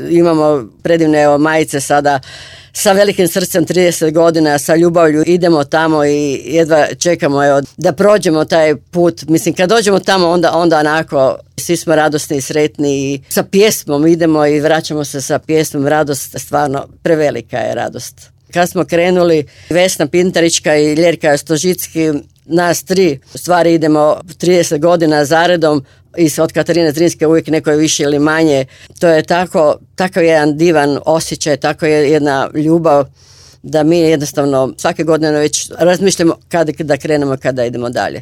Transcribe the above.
Imamo predivne majice sada sa velikim srcem 30 godina, sa ljubavlju, idemo tamo i jedva čekamo da prođemo taj put. Mislim, kad dođemo tamo onda onako svi smo radosni i sretni i sa pjesmom idemo i vraćamo se sa pjesmom. Radost, stvarno prevelika je radost. Kad smo krenuli, Vesna Pintarička i Ljerka Stožicki, nas tri u stvari idemo 30 godina zaredom i od Katarine Zrinske uvijek neko je više ili manje. To je takav jedan divan osjećaj, tako je jedna ljubav da mi jednostavno svake godine već razmišljamo kada krenemo, kada idemo dalje.